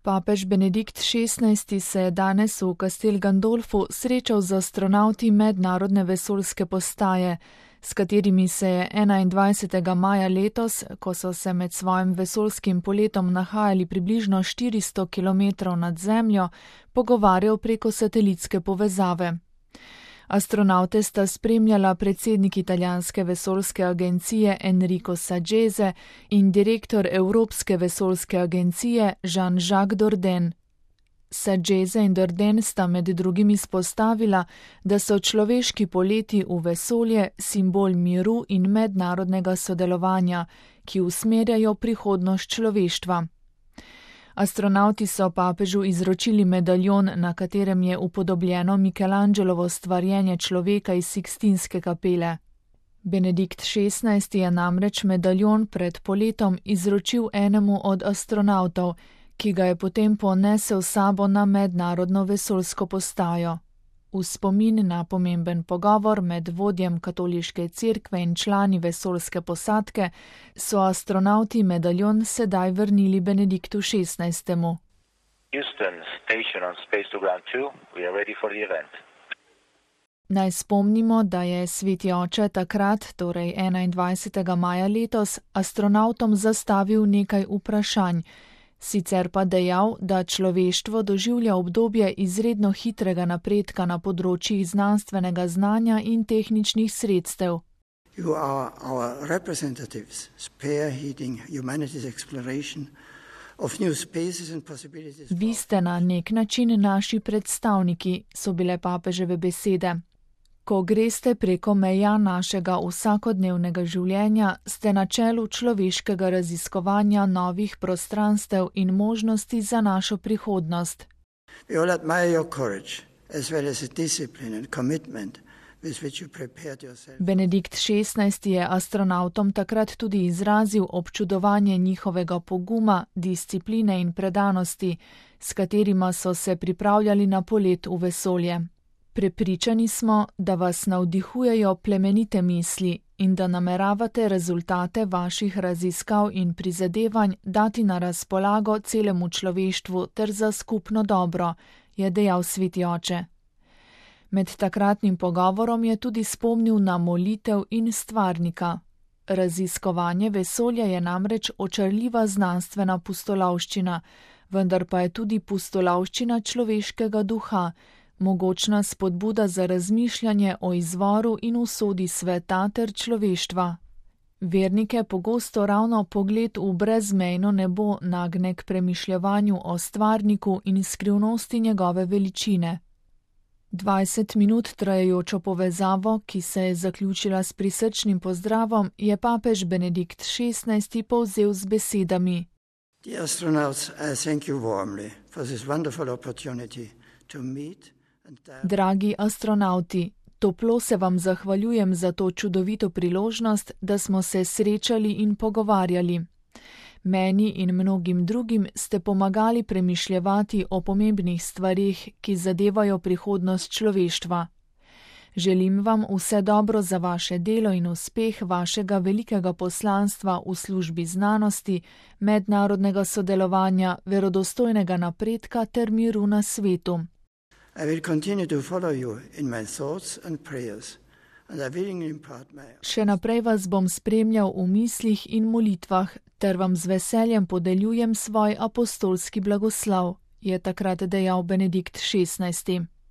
Papež Benedikt XVI se je danes v Castel Gandolfu srečal z astronavti mednarodne vesoljske postaje, s katerimi se je 21. maja letos, ko so se med svojim vesoljskim poletom nahajali približno 400 km nad Zemljo, pogovarjal preko satelitske povezave. Astronavte sta spremljala predsednik italijanske vesoljske agencije Enrico Saggese in direktor Evropske vesoljske agencije Jean-Jacques Dordain. Saggese in Dordain sta med drugim izpostavila, da so človeški poleti v vesolje simbol miru in mednarodnega sodelovanja, ki usmerjajo prihodnost človeštva. Astronavti so papežu izročili medaljon, na katerem je upodobljeno Michelangelovo stvarjenje človeka iz Sikstinske kapele. Benedikt XVI je namreč medaljon pred poletom izročil enemu od astronavtov, ki ga je potem ponesel s sabo na mednarodno vesoljsko postajo. V spomin na pomemben pogovor med vodjem katoliške cerkve in člani vesoljske posadke so astronavti medaljon sedaj vrnili Benediktu XVI. Houston, station on Space to Ground 2. We are ready for the event. Naj spomnimo, da je Sveti oče takrat, torej 21. maja letos, astronavtom zastavil nekaj vprašanj, sicer pa dejal, da človeštvo doživlja obdobje izredno hitrega napredka na področjih znanstvenega znanja in tehničnih sredstev. You are our representatives, spearheading humanity's exploration of new spaces and possibilities. Vi ste na nek način naši predstavniki, so bile papeževe besede. Ko greste preko meja našega vsakodnevnega življenja, ste na čelu človeškega raziskovanja novih prostranstev in možnosti za našo prihodnost. We all admire your courage, as well as the discipline and commitment with which you prepared yourself. Benedikt XVI je astronavtom takrat tudi izrazil občudovanje njihovega poguma, discipline in predanosti, s katerima so se pripravljali na polet v vesolje. Prepričani smo, da vas navdihujejo plemenite misli in da nameravate rezultate vaših raziskav in prizadevanj dati na razpolago celemu človeštvu ter za skupno dobro, je dejal Sveti oče. Med takratnim pogovorom je tudi spomnil na molitev in stvarnika. Raziskovanje vesolja je namreč očarljiva znanstvena pustolovščina, vendar pa je tudi pustolovščina človeškega duha, mogočna spodbuda za razmišljanje o izvoru in usodi sveta ter človeštva. Vernike pogosto ravno pogled v brezmejno nebo nagne k premišljevanju o stvarniku in skrivnosti njegove veličine. 20 minut trajajočo povezavo, ki se je zaključila s prisrčnim pozdravom, je papež Benedikt XVI povzel z besedami: The astronauts, I thank you warmly for this wonderful opportunity to meet. Dragi astronauti, toplo se vam zahvaljujem za to čudovito priložnost, da smo se srečali in pogovarjali. Meni in mnogim drugim ste pomagali premišljevati o pomembnih stvarih, ki zadevajo prihodnost človeštva. Želim vam vse dobro za vaše delo in uspeh vašega velikega poslanstva v službi znanosti, mednarodnega sodelovanja, verodostojnega napredka ter miru na svetu. I will continue to follow you in my thoughts and prayers, and I will impart my... Še naprej vas bom spremljal v mislih in molitvah, ter vam z veseljem podeljujem svoj apostolski blagoslav, je takrat dejal Benedikt XVI.